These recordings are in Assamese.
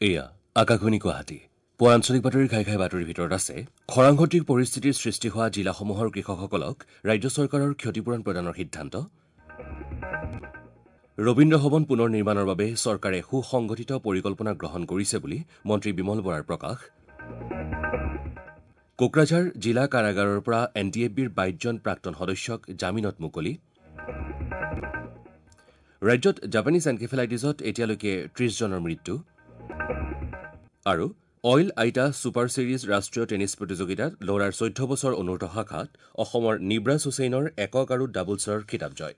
এয়া আকাশবাণী গুৱাহাটী। পুৱাৰ আঞ্চলিক বাতৰিৰ ঘাই ঘাই বাতৰিৰ ভিতৰত আছে খৰাংসদৃশ পৰিস্থিতিৰ সৃষ্টি হোৱা জিলাসমূহৰ কৃষকসকলক ৰাজ্য চৰকাৰৰ ক্ষতিপূৰণ প্ৰদানৰ সিদ্ধান্ত, ৰবীন্দ্ৰ ভৱন পুনৰ নিৰ্মাণৰ বাবে চৰকাৰে সুসংগঠিত পৰিকল্পনা গ্ৰহণ কৰিছে বুলি মন্ত্ৰী বিমল বৰাৰ প্ৰকাশ, কোকৰাঝাৰ জিলা কাৰাগাৰৰ পৰা এন ডি এফ বিৰ 22জন প্ৰাক্তন সদস্যক জামিনত মুকলি, ৰাজ্যত জাপানীজ এনকেফেলাইটিছত এতিয়ালৈকে 30জনৰ মৃত্যু আৰু অইল আইটা ছুপাৰ ছিৰিজ ৰাষ্ট্ৰীয় টেনিছ প্ৰতিযোগিতাত ল'ৰাৰ 14 বছৰ অনুৰ্ধ শাখাত অসমৰ নিব্ৰাজ হুছেইনৰ একক আৰু ডাবলছৰ খিতাপ জয়।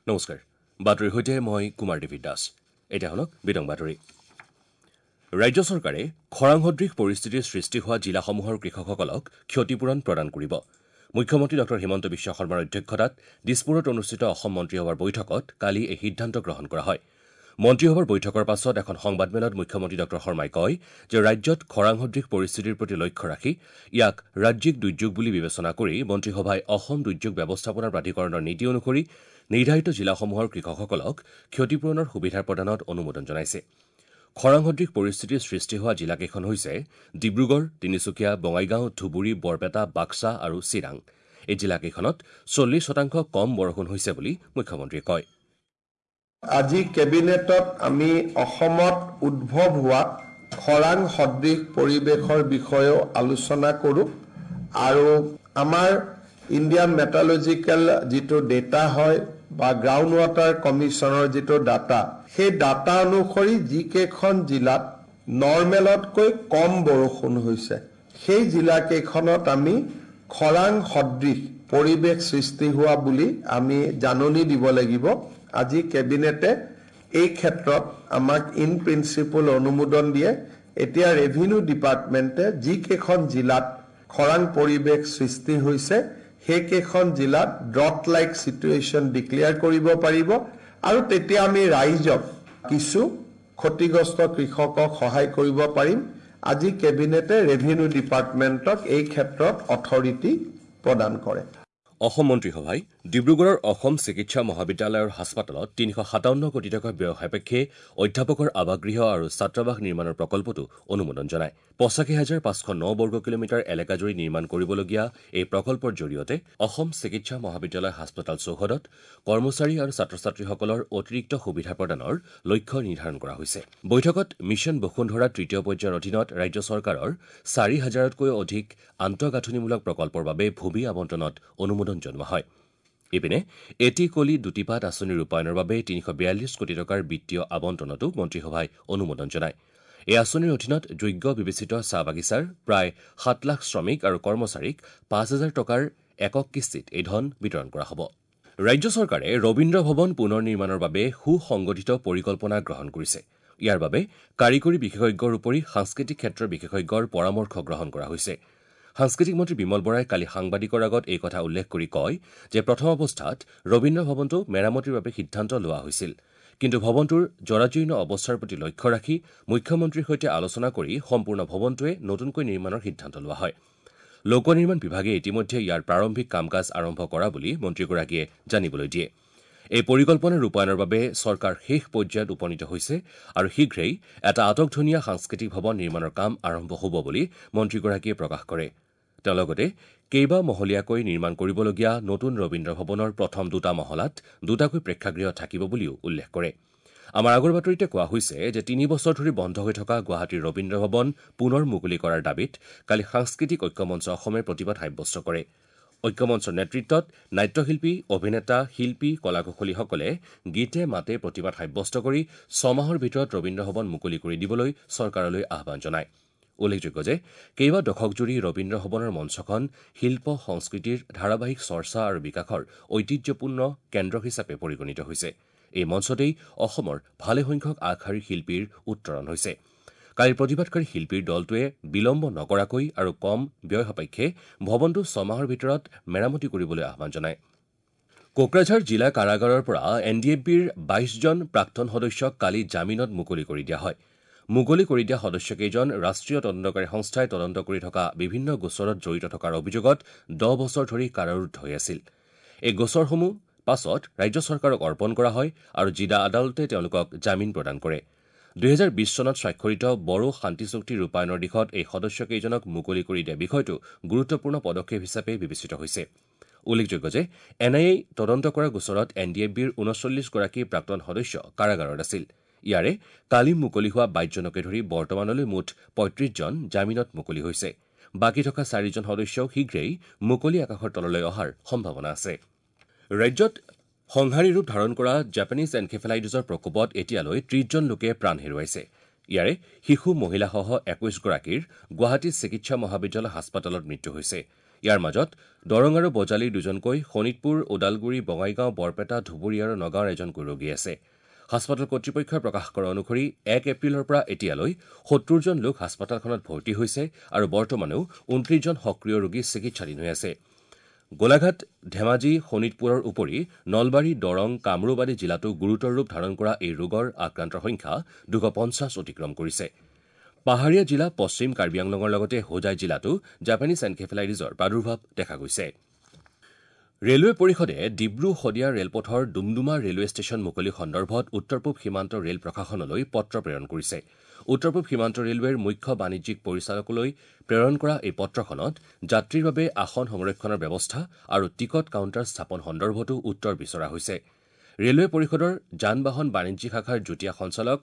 নমস্কাৰ, বাতৰিৰ সৈতে মই কুমাৰ দেৱী দাস। এতিয়া শুনক বিতং বাতৰি। ৰাজ্য চৰকাৰে খৰাংসদৃশ পৰিস্থিতিৰ সৃষ্টি হোৱা জিলাসমূহৰ কৃষকসকলক ক্ষতিপূৰণ প্ৰদান কৰিব। মুখ্যমন্ত্ৰী ডঃ হিমন্ত বিশ্ব শৰ্মাৰ অধ্যক্ষতাত দিছপুৰত অনুষ্ঠিত অসম মন্ত্ৰীসভাৰ বৈঠকত কালি এই সিদ্ধান্ত গ্ৰহণ কৰা হয়। মন্ত্ৰীসভাৰ বৈঠকৰ পাছত এখন সংবাদমেলত মুখ্যমন্ত্ৰী ডঃ শৰ্মাই কয় যে ৰাজ্যত খৰাংসদৃশ পৰিস্থিতিৰ প্ৰতি লক্ষ্য ৰাখি ইয়াক ৰাজ্যিক দুৰ্যোগ বুলি বিবেচনা কৰি মন্ত্ৰীসভাই অসম দুৰ্যোগ ব্যৱস্থাপনা প্ৰাধিকৰণৰ নীতি অনুসৰি নিৰ্ধাৰিত জিলাসমূহৰ কৃষকসকলক ক্ষতিপূৰণৰ সুবিধা প্ৰদানত অনুমোদন জনাইছে। খৰাংসদৃশ পৰিস্থিতিৰ সৃষ্টি হোৱা জিলাকেইখন হৈছে ডিব্ৰুগড়, তিনিচুকীয়া, বঙাইগাঁও, ধুবুৰী, বৰপেটা, বাক্সা আৰু চিৰাং। এই জিলাকেইখনত 40% কম বৰষুণ হৈছে বুলি মুখ্যমন্ত্ৰীয়ে কয়। আজি কেবিনেটত আমি অসমত উদ্ভৱ হোৱা খৰাং সদৃশ পৰিৱেশৰ বিষয়েও আলোচনা কৰোঁ আৰু আমাৰ ইণ্ডিয়ান মেটালজিকেল যিটো ডেটা হয় বা গ্ৰাউণ্ড ৱাটাৰ কমিশ্যনৰ যিটো ডাটা, সেই ডাটা অনুসৰি যিকেইখন জিলাত নৰ্মেলতকৈ কম বৰষুণ হৈছে সেই জিলাকেইখনত আমি খৰাং সদৃশ পৰিৱেশ সৃষ্টি হোৱা বুলি আমি জাননী দিব লাগিব। আজি কেবিনেটে এই ক্ষেত্ৰত আমাক ইন প্ৰিন্সিপল অনুমোদন দিয়ে। এতিয়া ৰেভিনিউ ডিপাৰ্টমেণ্টে যিকেইখন জিলাত খৰাং পৰিৱেশ সৃষ্টি হৈছে সেইকেইখন জিলাত ড্ৰট লাইক চিটুৱেশ্যন ডিক্লেয়াৰ কৰিব পাৰিব আৰু তেতিয়া আমি ৰাইজক কিছু ক্ষতিগ্ৰস্ত কৃষকক সহায় কৰিব পাৰিম। আজি কেবিনেটে ৰেভিনিউ ডিপাৰ্টমেণ্টক এই ক্ষেত্ৰত অথৰিটি প্ৰদান কৰে। অসম মন্ত্ৰীসভাই ডিব্ৰুগড়ৰ অসম চিকিৎসা মহাবিদ্যালয়ৰ হাস্পতালত 357 কোটি টকা ব্যয় সাপেক্ষে অধ্যাপকৰ আৱাসগৃহ আৰু ছাত্ৰাবাস নিৰ্মাণৰ প্ৰকল্পটো অনুমোদন জনায়। 85,509 বৰ্গ কিলোমিটাৰ এলেকাজুৰি নিৰ্মাণ কৰিবলগীয়া এই প্ৰকল্পৰ জৰিয়তে অসম চিকিৎসা মহাবিদ্যালয় হাস্পতাল চৌহদত কৰ্মচাৰী আৰু ছাত্ৰ ছাত্ৰীসকলৰ অতিৰিক্ত সুবিধা প্ৰদানৰ লক্ষ্য নিৰ্ধাৰণ কৰা হৈছে। বৈঠকত মিছন বসুন্ধৰা তৃতীয় পৰ্যায়ৰ অধীনত ৰাজ্য চৰকাৰৰ 4,000তকৈও অধিক আন্তঃগাঁথনিমূলক প্ৰকল্পৰ বাবে ভূমি আবণ্টনত অনুমোদন জনোৱা হয়। ইপিনে এটি কলি দুটি পাত আঁচনি ৰূপায়ণৰ বাবে 342 কোটি টকাৰ বিত্তীয় আবণ্টনতো মন্ত্ৰীসভাই অনুমোদন জনায়। এই আঁচনিৰ অধীনত যোগ্য বিবেচিত চাহ বাগিচাৰ প্ৰায় 7 লাখ শ্ৰমিক আৰু কৰ্মচাৰীক 5,000 টকাৰ একক কিস্তিত এই ধন বিতৰণ কৰা হ'ব। ৰাজ্য চৰকাৰে ৰবীন্দ্ৰ ভৱন পুনৰ নিৰ্মাণৰ বাবে সুসংগঠিত পৰিকল্পনা গ্ৰহণ কৰিছে। ইয়াৰ বাবে কাৰিকৰী বিশেষজ্ঞৰ উপৰি সাংস্কৃতিক ক্ষেত্ৰৰ বিশেষজ্ঞৰ পৰামৰ্শ গ্ৰহণ কৰা হৈছে। সাংস্কৃতিক মন্ত্ৰী বিমল বৰাই কালি সাংবাদিকৰ আগত এই কথা উল্লেখ কৰি কয় যে প্ৰথম অৱস্থাত ৰবীন্দ্ৰ ভৱনটো মেৰামতিৰ বাবে সিদ্ধান্ত লোৱা হৈছিল, কিন্তু ভৱনটোৰ জৰাজীৰ্ণ অৱস্থাৰ প্ৰতি লক্ষ্য ৰাখি মুখ্যমন্ত্ৰীৰ সৈতে আলোচনা কৰি সম্পূৰ্ণ ভৱনটোৱে নতুনকৈ নিৰ্মাণৰ সিদ্ধান্ত লোৱা হয়। লোক নিৰ্মাণ বিভাগে ইতিমধ্যে ইয়াৰ প্ৰাৰম্ভিক কাম কাজ আৰম্ভ কৰা বুলি মন্ত্ৰীগৰাকীয়ে জানিবলৈ দিয়ে। এই পৰিকল্পনা ৰূপায়ণৰ বাবে চৰকাৰ শেষ পৰ্যায়ত উপনীত হৈছে আৰু শীঘ্ৰেই এটা আটকধুনীয়া সাংস্কৃতিক ভৱন নিৰ্মাণৰ কাম আৰম্ভ হ'ব বুলি মন্ত্ৰীগৰাকীয়ে প্ৰকাশ কৰে। তেওঁ লগতে কেইবা মহলীয়াকৈ নিৰ্মাণ কৰিবলগীয়া নতুন ৰবীন্দ্ৰ ভৱনৰ প্ৰথম দুটা মহলাত দুটাকৈ প্ৰেক্ষাগৃহ থাকিব বুলিও উল্লেখ কৰে। আমাৰ আগৰ বাতৰিতে কোৱা হৈছে যে 3 বছৰ ধৰি বন্ধ হৈ থকা গুৱাহাটীৰ ৰবীন্দ্ৰ ভৱন পুনৰ মুকলি কৰাৰ দাবীত কালি সাংস্কৃতিক ঐক্যমঞ্চ অসমে প্ৰতিবাদ সাব্যস্ত কৰে। ঐক্যমঞ্চৰ নেতৃত্বত নাট্যশিল্পী, অভিনেতা, শিল্পী, কলাকুশলীসকলে গীতে মাতে প্ৰতিবাদ সাব্যস্ত কৰি 6 মাহৰ ভিতৰত ৰবীন্দ্ৰ ভৱন মুকলি কৰি দিবলৈ চৰকাৰলৈ আহ্বান জনায়। উল্লেখযোগ্য যে কেইবা দশকজুৰি ৰবীন্দ্ৰ ভৱনৰ মঞ্চখন শিল্প সংস্কৃতিৰ ধাৰাবাহিক চৰ্চা আৰু বিকাশৰ ঐতিহ্যপূৰ্ণ কেন্দ্ৰ হিচাপে পৰিগণিত হৈছে। এই মঞ্চতেই অসমৰ ভালেসংখ্যক আগশাৰীৰ শিল্পীৰ উত্তৰণ হৈছে। কালিৰ প্ৰতিবাদকাৰী শিল্পীৰ দলটোৱে বিলম্ব নকৰাকৈ আৰু কম ব্যয় সাপেক্ষে ভৱনটো 6 মাহৰ ভিতৰত মেৰামতি কৰিবলৈ আহ্বান জনায়। কোকৰাঝাৰ জিলা কাৰাগাৰৰ পৰা এন ডি এফ বিৰ 22জন প্ৰাক্তন সদস্যক কালি জামিনত মুকলি কৰি দিয়া হয়। মুকলি কৰি দিয়া সদস্যকেইজন ৰাষ্ট্ৰীয় তদন্তকাৰী সংস্থাই তদন্ত কৰি থকা বিভিন্ন গোচৰত জড়িত থকাৰ অভিযোগত 10 বছৰ ধৰি কাৰাৰুদ্ধ হৈ আছিল। এই গোচৰসমূহ পাছত ৰাজ্য চৰকাৰক অৰ্পণ কৰা হয় আৰু জিলা আদালতে তেওঁলোকক জামিন প্ৰদান কৰে। ২০২০ চনত স্বাক্ষৰিত বড়ো শান্তি চুক্তি ৰূপায়ণৰ দিশত এই সদস্যকেইজনক মুকলি কৰি দিয়া বিষয়টো গুৰুত্বপূৰ্ণ পদক্ষেপ হিচাপে বিবেচিত হৈছে। উল্লেখযোগ্য যে এন আই এই তদন্ত কৰা গোচৰত এন ডি এফ বিৰ ৩৯গৰাকী প্ৰাক্তন সদস্য কাৰাগাৰত আছিল। ইয়াৰে কালি মুকলি হোৱা ২২জনকে ধৰি বৰ্তমানলৈ মুঠ ৩৫জন জামিনত মুকলি হৈছে। বাকী থকা ৪জন সদস্যও শীঘ্ৰেই মুকলি আকাশৰ তললৈ অহাৰ সম্ভাৱনা আছে। ৰাজ্যত সংহাৰী ৰূপ ধাৰণ কৰা জাপানীজ এনকেফেলাইটিছৰ প্ৰকোপত এতিয়ালৈ ৩০জন লোকে প্ৰাণ হেৰুৱাইছে। ইয়াৰে শিশু, মহিলাসহ ২১গৰাকীৰ গুৱাহাটী চিকিৎসা মহাবিদ্যালয় হাস্পতালত মৃত্যু হৈছে। ইয়াৰ মাজত দৰং আৰু বজালীৰ দুজনকৈ, শোণিতপুৰ, ওদালগুৰি, বঙাইগাঁও, বৰপেটা, ধুবুৰী আৰু নগাঁৱৰ এজনকৈ ৰোগী আছে। হাস্পতাল কৰ্তৃপক্ষই প্ৰকাশ কৰা অনুসৰি ১ এপ্ৰিলৰ পৰা এতিয়ালৈ ৭০জন লোক হাস্পতালখনত ভৰ্তি হৈছে আৰু বৰ্তমানেও ২৯জন সক্ৰিয় ৰোগী চিকিৎসাধীন হৈ আছে। গোলাঘাট, ধেমাজি, শোণিতপুৰৰ উপৰি নলবাৰী, দৰং, কামৰূপ আদি জিলাতো গুৰুতৰ ৰূপ ধাৰণ কৰা এই ৰোগৰ আক্ৰান্তৰ সংখ্যা ২৫০ অতিক্ৰম কৰিছে। পাহাৰীয়া জিলা পশ্চিম কাৰ্বি আংলঙৰ লগতে হোজাই জিলাতো জাপানীজ এনকেফেলাইটিছৰ প্ৰাদুৰ্ভাৱ দেখা গৈছে। ৰেলৱে পৰিষদে ডিব্ৰু শদিয়া ৰেলপথৰ ডুমডুমা ৰেলৱে ষ্টেচন মুকলি সন্দৰ্ভত উত্তৰ পূব সীমান্ত ৰেল প্ৰশাসনলৈ পত্ৰ প্ৰেৰণ কৰিছে। উত্তৰ পূব সীমান্ত ৰেলৱেৰ মুখ্য বাণিজ্যিক পৰিচালকলৈ প্ৰেৰণ কৰা এই পত্ৰখনত যাত্ৰীৰ বাবে আসন সংৰক্ষণৰ ব্যৱস্থা আৰু টিকট কাউণ্টাৰ স্থাপন সন্দৰ্ভতো উত্তৰ বিচৰা হৈছে। ৰেলৱে পৰিষদৰ যান বাহন বাণিজ্যিক শাখাৰ যুটীয়া সঞ্চালক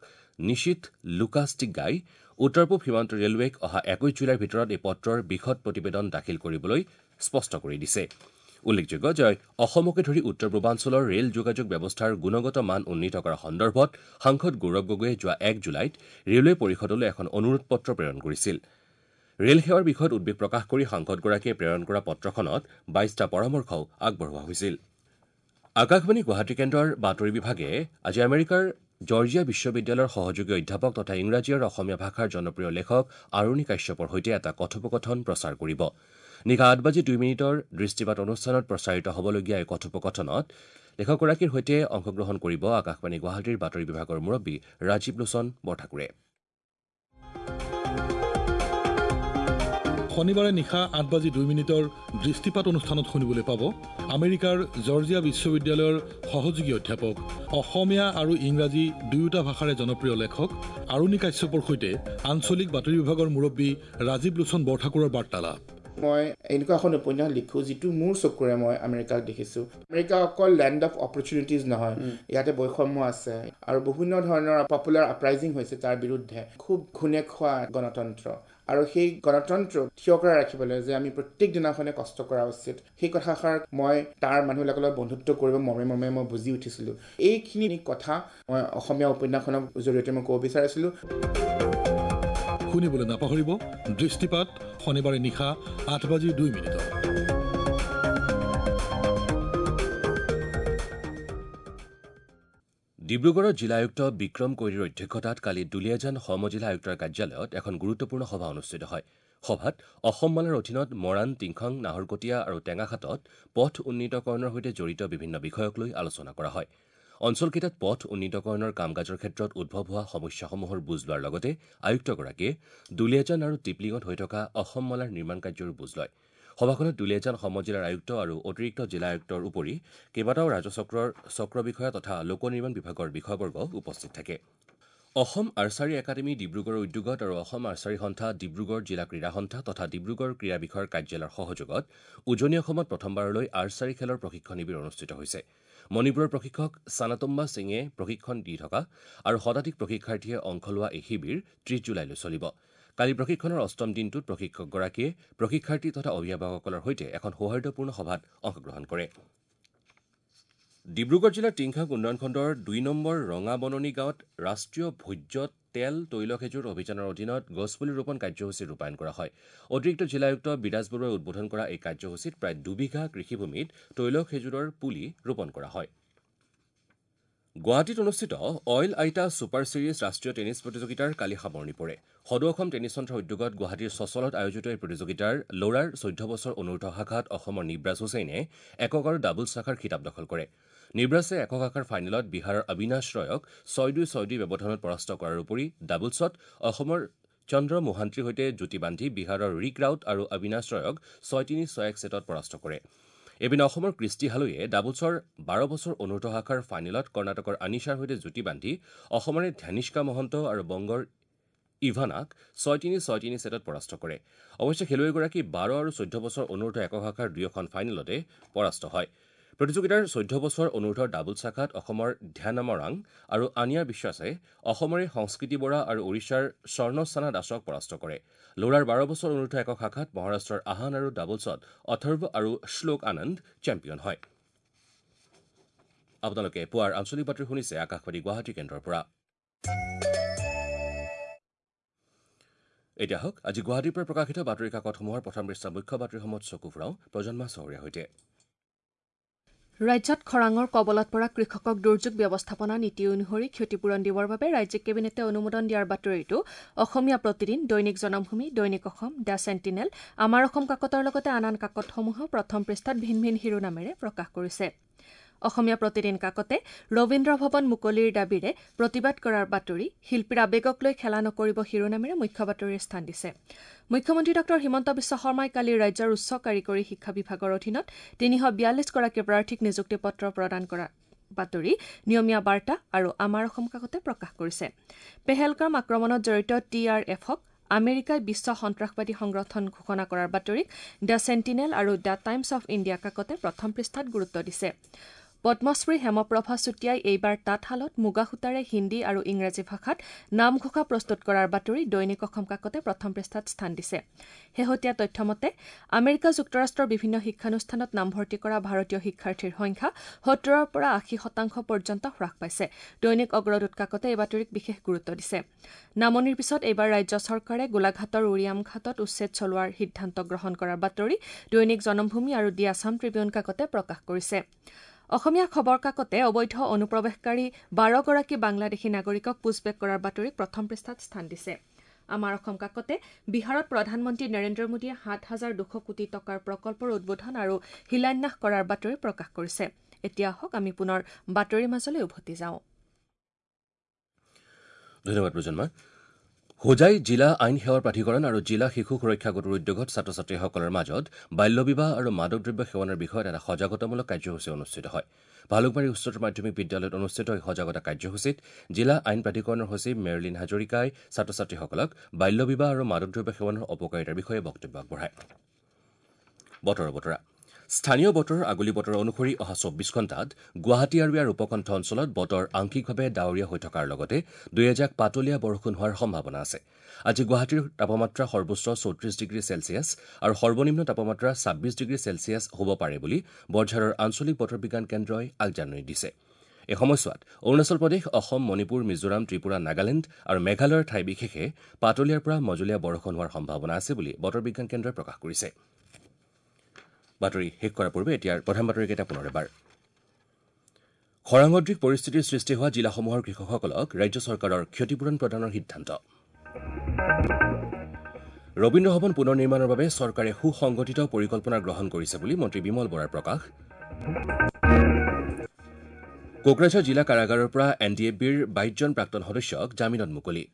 নিশিত লুকাছ টিগ্গাই উত্তৰ পূব সীমান্ত ৰেলৱেক অহা ২১ জুলাইৰ ভিতৰত এই পত্ৰৰ বিশদ প্ৰতিবেদন দাখিল কৰিবলৈ স্পষ্ট কৰি দিছে। উল্লেখযোগ্য যে অসমকে ধৰি উত্তৰ পূৰ্বাঞ্চলৰ ৰেল যোগাযোগ ব্যৱস্থাৰ গুণগত মান উন্নীত কৰাৰ সন্দৰ্ভত সাংসদ গৌৰৱ গগৈয়ে যোৱা ১ জুলাইত ৰেলৱে পৰিষদলৈ এখন অনুৰোধ পত্ৰ প্ৰেৰণ কৰিছিল। ৰেল সেৱাৰ বিষয়ত উদ্বেগ প্ৰকাশ কৰি সাংসদগৰাকীয়ে প্ৰেৰণ কৰা পত্ৰখনত ২২টা পৰামৰ্শও আগবঢ়োৱা হৈছিল। আকাশবাণী গুৱাহাটী কেন্দ্ৰৰ বাতৰি বিভাগে আজি আমেৰিকাৰ জৰ্জিয়া বিশ্ববিদ্যালয়ৰ সহযোগী অধ্যাপক তথা ইংৰাজী আৰু অসমীয়া ভাষাৰ জনপ্ৰিয় লেখক আৰুণি কাশ্যপৰ সৈতে এটা কথোপকথন প্ৰচাৰ কৰিব। নিশা ৮:০২ দৃষ্টিপাত অনুষ্ঠানত প্ৰচাৰিত হ'বলগীয়া এই কথোপকথনত লেখকগৰাকীৰ সৈতে অংশগ্ৰহণ কৰিব আকাশবাণী গুৱাহাটীৰ বাতৰি বিভাগৰ মুৰব্বী ৰাজীৱ লোচন বৰঠাকুৰে। শনিবাৰে নিশা ৮:০২ দৃষ্টিপাত অনুষ্ঠানত শুনিবলৈ পাব আমেৰিকাৰ জৰ্জিয়া বিশ্ববিদ্যালয়ৰ সহযোগী অধ্যাপক, অসমীয়া আৰু ইংৰাজী দুয়োটা ভাষাৰে জনপ্ৰিয় লেখক আৰুণি কাশ্যপৰ সৈতে আঞ্চলিক বাতৰি বিভাগৰ মুৰব্বী ৰাজীৱ লোচন বৰঠাকুৰৰ বাৰ্তালাপ। মই এনেকুৱা এখন উপন্যাস লিখোঁ যিটো মোৰ চকুৰে মই আমেৰিকাক দেখিছোঁ। আমেৰিকা অকল লেণ্ড অফ অপৰচুনিটিজ নহয়, ইয়াতে বৈষম্য আছে আৰু বিভিন্ন ধৰণৰ পপুলাৰ আপৰাইজিং হৈছে তাৰ বিৰুদ্ধে। খুব ঘূণে খোৱা গণতন্ত্ৰ আৰু সেই গণতন্ত্ৰ থিয় কৰাই ৰাখিবলৈ যে আমি প্ৰত্যেক দিনাখনে কষ্ট কৰা উচিত, সেই কথাষাৰ মই তাৰ মানুহবিলাকৰ লগত বন্ধুত্ব কৰিব মৰ্মে মৰ্মে মই বুজি উঠিছিলোঁ। এইখিনি কথা মই অসমীয়া উপন্যাসখনৰ জৰিয়তে মই ক'ব বিচাৰিছিলোঁ। শুনিবলৈ নাপাহৰিব দৃষ্টিপাত, শনিবাৰে নিশা ৮:০২। ডিব্ৰুগড়ৰ জিলা আয়ুক্ত বিক্ৰম কৈৰীৰ অধ্যক্ষতাত কালি দুলীয়াজান সমজিলা আয়ুক্তৰ কাৰ্যালয়ত এখন গুৰুত্বপূৰ্ণ সভা অনুষ্ঠিত হয়। সভাত অসম মালাৰ অধীনত মৰাণ, টিংখং, নাহৰকটীয়া আৰু টেঙাখাটত পথ উন্নীতকৰণৰ সৈতে জড়িত বিভিন্ন বিষয়ক লৈ আলোচনা কৰা হয়। অঞ্চলকেইটাত পথ উন্নীতকৰণৰ কাম কাজৰ ক্ষেত্ৰত উদ্ভৱ হোৱা সমস্যাসমূহৰ বুজ লোৱাৰ লগতে আয়ুক্তগৰাকীয়ে দুলীয়াজান আৰু টিপলিঙত হৈ থকা অসম মালাৰ নিৰ্মাণ কাৰ্যৰো বুজ লয়। সভাখনত দুলীয়াজান সমজিলাৰ আয়ুক্ত আৰু অতিৰিক্ত জিলা আয়ুক্তৰ উপৰি কেইবাটাও ৰাজচক্ৰৰ চক্ৰ বিষয়া তথা লোক নিৰ্মাণ বিভাগৰ বিষয়াবৰ্গ উপস্থিত থাকে। অসম আৰ্চাৰী একাডেমী ডিব্ৰুগড়ৰ উদ্যোগত আৰু অসম আৰ্চাৰী সন্থা, ডিব্ৰুগড় জিলা ক্ৰীড়া সন্থা তথা ডিব্ৰুগড় ক্ৰীড়া বিষয়ৰ কাৰ্যালয়ৰ সহযোগত উজনি অসমত প্ৰথমবাৰলৈ আৰ্চাৰী খেলৰ প্ৰশিক্ষণ শিবিৰ অনুষ্ঠিত হৈছে। মণিপুৰৰ প্ৰশিক্ষক ছানাতম্বা সিঙে প্ৰশিক্ষণ দি থকা আৰু শতাধিক প্ৰশিক্ষাৰ্থীয়ে অংশ লোৱা এই শিবিৰ ৩০ জুলাইলৈ চলিব। কালি প্ৰশিক্ষণৰ অষ্টম দিনটোত প্ৰশিক্ষকগৰাকীয়ে প্ৰশিক্ষাৰ্থী তথা অভিভাৱকসকলৰ সৈতে এখন সৌহাৰ্দ্যপূৰ্ণ সভাত অংশগ্ৰহণ কৰে। ডিব্ৰুগড় জিলাৰ টিংখাং উন্নয়ন খণ্ডৰ ২ নম্বৰ ৰঙাবননী গাঁৱত ৰাষ্ট্ৰীয় ভোজ্য তেল তৈল খেজুৰ অভিযানৰ অধীনত গছপুলি ৰোপণ কাৰ্যসূচী ৰূপায়ণ কৰা হয়। অতিৰিক্ত জিলা আয়ুক্ত বিৰাজ বৰুৱাই উদ্বোধন কৰা এই কাৰ্যসূচীত প্ৰায় ২ বিঘা কৃষিভূমিত তৈল খেজুৰৰ পুলি ৰোপণ কৰা হয়। গুৱাহাটীত অনুষ্ঠিত অইল আইটা ছুপাৰ ছিৰিজ ৰাষ্ট্ৰীয় টেনিছ প্ৰতিযোগিতাৰ কালি সামৰণি পৰে। সদৌ অসম টেনিছ সন্থাৰ উদ্যোগত গুৱাহাটীৰ চচলত আয়োজিত এই প্ৰতিযোগিতাৰ ল'ৰাৰ ১৪ বছৰ অনুৰ্ধ শাখাত অসমৰ নিব্ৰাজ হুছেইনে একক আৰু ডাবলছ শাখাৰ খিতাপ দখল কৰে। নিব্ৰাছে একক শাখাৰ ফাইনেলত বিহাৰৰ অবিনাশ ৰয়ক ৬-২ ৬-২ ব্যৱধানত পৰাস্ত কৰাৰ উপৰি ডাবলছত অসমৰ চন্দ্ৰ মোহান্তিৰ সৈতে যুটি বান্ধি বিহাৰৰ ৰিক ৰাউত আৰু অবিনাশ ৰয়ক ৬-৩ ৬-১ ছেটত পৰাস্ত কৰে। এইপিনে অসমৰ কৃষ্টি হালৈয়ে ডাবলছৰ 12 বছৰ অনুৰ্ধ শাখাৰ ফাইনেলত কৰ্ণাটকৰ আনিছাৰ সৈতে যুটি বান্ধি অসমৰে ধ্যানিষ্কা মহন্ত আৰু বংগৰ ইভানাক 6-3 6-3 ছেটত পৰাস্ত কৰে। অৱশ্যে খেলুৱৈগৰাকী 12 আৰু 14 বছৰ অনুৰ্ধ একক শাখাৰ দুয়োখন ফাইনেলতে পৰাস্ত হয়। প্ৰতিযোগিতাৰ 14 বছৰ অনুৰ্ধৰ ডাবলছ শাখাত অসমৰ ধ্যানমৰাং আৰু আনিয়া বিশ্বাসে অসমৰে সংস্কৃতি বৰা আৰু ওড়িশাৰ স্বৰ্ণস্থানা দাসক পৰাস্ত কৰে। ল'ৰাৰ 12 বছৰ অনুৰ্ধ একক শাখাত মহাৰাষ্ট্ৰৰ আহান আৰু ডাবলছত অথৰ্ব আৰু শ্লোক আনন্দ চেম্পিয়ন হয়। আপোনালোকে পুৱাৰ আঞ্চলিক বাতৰি শুনিছে আকাশবাণী গুৱাহাটী কেন্দ্ৰৰ পৰা। এতিয়া হওক আজি গুৱাহাটীৰ পৰা প্ৰকাশিত বাতৰি কাকতসমূহৰ প্ৰথম পৃষ্ঠাৰ মুখ্য বাতৰিসমূহত চকু ফুৰাওঁ প্ৰজন্মা চহৰীয়াৰ সৈতে। ৰাজ্যত খৰাঙৰ কবলত পৰা কৃষকক দুৰ্যোগ ব্যৱস্থাপনা নীতি অনুসৰি ক্ষতিপূৰণ দিবৰ বাবে ৰাজ্যিক কেবিনেটে অনুমোদন দিয়াৰ বাতৰিটো অসমীয়া প্ৰতিদিন, দৈনিক জনমভূমি, দৈনিক অসম, the sentinel, আমাৰ অসম কাকতৰ লগতে আন আন কাকতসমূহেও প্ৰথম পৃষ্ঠাত ভিন ভিন শিৰোনামেৰে প্ৰকাশ কৰিছে। অসমীয়া প্ৰতিদিন কাকতে ৰবীন্দ্ৰ ভৱন মুকলিৰ দাবীৰে প্ৰতিবাদ কৰাৰ বাতৰি, শিল্পীৰ আৱেগক লৈ খেলা নকৰিব শিৰোনামেৰে মুখ্য বাতৰিৰ স্থান দিছে। মুখ্যমন্ত্ৰী ডঃ হিমন্ত বিশ্ব শৰ্মাই কালি ৰাজ্যৰ উচ্চ কাৰিকৰী শিক্ষা বিভাগৰ অধীনত 342 গৰাকী প্ৰাৰ্থীক নিযুক্তি পত্ৰ প্ৰদান কৰা বাতৰি নিয়মীয়া বাৰ্তা আৰু আমাৰ অসম কাকতে প্ৰকাশ কৰিছে। পেহেলগাম আক্ৰমণত জড়িত টি আৰ এফক আমেৰিকাই বিশ্ব সন্ত্ৰাসবাদী সংগঠন ঘোষণা কৰাৰ বাতৰিক the sentinel আৰু the times of India কাকতে প্ৰথম পৃষ্ঠাত গুৰুত্ব দিছে। পদ্মশ্ৰী হেমপ্ৰভা চুতীয়াই এইবাৰ তাঁতশালত মুগা সূতাৰে হিন্দী আৰু ইংৰাজী ভাষাত নামঘোষা প্ৰস্তুত কৰাৰ বাতৰি দৈনিক অসম কাকতে প্ৰথম পৃষ্ঠাত স্থান দিছে। শেহতীয়া তথ্য মতে আমেৰিকা যুক্তৰাষ্ট্ৰৰ বিভিন্ন শিক্ষানুষ্ঠানত নামভৰ্তি কৰা ভাৰতীয় শিক্ষাৰ্থীৰ সংখ্যা 70ৰ পৰা 80% পৰ্যন্ত হ্ৰাস পাইছে। দৈনিক অগ্ৰদূত কাকতে এই বাতৰিক বিশেষ গুৰুত্ব দিছে। নামনিৰ পিছত এইবাৰ ৰাজ্য চৰকাৰে গোলাঘাটৰ উৰিয়ামঘাটত উচ্ছেদ চলোৱাৰ সিদ্ধান্ত গ্ৰহণ কৰাৰ বাতৰি দৈনিক জনমভূমি আৰু দি আছাম ট্ৰিবিউন কাকতে প্ৰকাশ কৰিছে। অসমীয়া খবৰ কাকতে অবৈধ অনুপ্ৰৱেশকাৰী 12 গৰাকী বাংলাদেশী নাগৰিকক পুছবেক কৰাৰ বাতৰিক প্ৰথম পৃষ্ঠাত স্থান দিছে। আমাৰ অসম কাকতে বিহাৰত প্ৰধানমন্ত্ৰী নৰেন্দ্ৰ মোদীয়ে 7,200 কোটি টকাৰ প্ৰকল্পৰ উদ্বোধন আৰু শিলান্যাস কৰাৰ বাতৰি প্ৰকাশ কৰিছে। এতিয়া আহক আমি পুনৰ বাতৰিৰ মাজলৈ উভতি যাওঁ। ধন্যবাদ প্ৰজন্মা। হোজাই জিলা আইন সেৱাৰ প্ৰাধিকৰণ আৰু জিলা শিশু সুৰক্ষা গোটৰ উদ্যোগত ছাত্ৰ ছাত্ৰীসকলৰ মাজত বাল্য বিবাহ আৰু মাদক দ্ৰব্য সেৱনৰ বিষয়ত এটা সজাগতামূলক কাৰ্যসূচী অনুষ্ঠিত হয়। ভালুকবাৰী উচ্চতৰ মাধ্যমিক বিদ্যালয়ত অনুষ্ঠিত এই সজাগতা কাৰ্যসূচীত জিলা আইন প্ৰাধিকৰণৰ সচিব মেৰলিন হাজৰিকাই ছাত্ৰ ছাত্ৰীসকলক বাল্য বিবাহ আৰু মাদক দ্ৰব্য সেৱনৰ অপকাৰিতাৰ বিষয়ে বক্তব্য আগবঢ়ায়। বতৰৰ বতৰা। স্থানীয় বতৰৰ আগলি বতৰ অনুসৰি অহা 24 ঘণ্টাত গুৱাহাটী আৰু ইয়াৰ উপকণ্ঠ অঞ্চলত বতৰ আংশিকভাৱে ডাৱৰীয়া হৈ থকাৰ লগতে দুই এজাক পাতলীয়া বৰষুণ হোৱাৰ সম্ভাৱনা আছে। আজি গুৱাহাটীৰ তাপমাত্ৰা সৰ্বোচ্চ 34 ডিগ্ৰী চেলছিয়াছ আৰু সৰ্বনিম্ন তাপমাত্ৰা 26 ডিগ্ৰী চেলছিয়াছ হ'ব পাৰে বুলি বৰঝাৰৰ আঞ্চলিক বতৰ বিজ্ঞান কেন্দ্ৰই আগজাননী দিছে। এই সময়ছোৱাত অৰুণাচল প্ৰদেশ, অসম, মণিপুৰ, মিজোৰাম, ত্ৰিপুৰা, নাগালেণ্ড আৰু মেঘালয়ৰ ঠাই বিশেষে পাতলীয়াৰ পৰা মজলীয়া বৰষুণ হোৱাৰ সম্ভাৱনা আছে বুলি বতৰ বিজ্ঞান কেন্দ্ৰই প্ৰকাশ কৰিছে। বাতৰি শেষ কৰাৰ পূৰ্বে এতিয়াৰ প্ৰধান বাতৰিকেইটা পুনৰ এবাৰ। খৰাঙদৃশ পৰিস্থিতিৰ সৃষ্টি হোৱা জিলাসমূহৰ কৃষকসকলক ৰাজ্য চৰকাৰৰ ক্ষতিপূৰণ প্ৰদানৰ সিদ্ধান্ত। ৰবীন্দ্ৰ ভৱন পুনৰ নিৰ্মাণৰ বাবে চৰকাৰে সুসংগঠিত পৰিকল্পনা গ্ৰহণ কৰিছে বুলি মন্ত্ৰী বিমল বৰাৰ প্ৰকাশ। কোকৰাঝাৰ জিলা কাৰাগাৰৰ পৰা এন ডি এফ বিৰ 22 জন প্ৰাক্তন সদস্যক জামিনত মুকলি।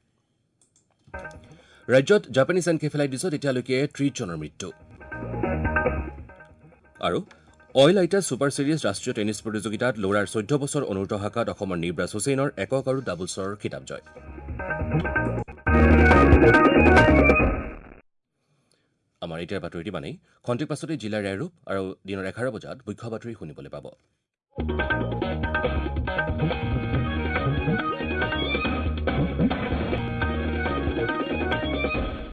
ৰাজ্যত জাপানীজ এনকেফেলাইটিছত এতিয়ালৈকে 30 জনৰ মৃত্যু। আৰু অইল আইটা ছুপাৰ ছিৰিজ ৰাষ্ট্ৰীয় টেনিছ প্ৰতিযোগিতাত ল'ৰাৰ 14 বছৰ অনুৰ্ধ শাখাত অসমৰ নিব্ৰাজ হুছেইনৰ একক আৰু ডাবলছৰ খিতাপ জয়। আমাৰ এতিয়াৰ বাতৰিটি মানেই। খন্তেক পাছতে জিলাৰ এৰূপ আৰু দিনৰ 11 বজাত মুখ্য বাতৰি শুনিবলৈ পাব।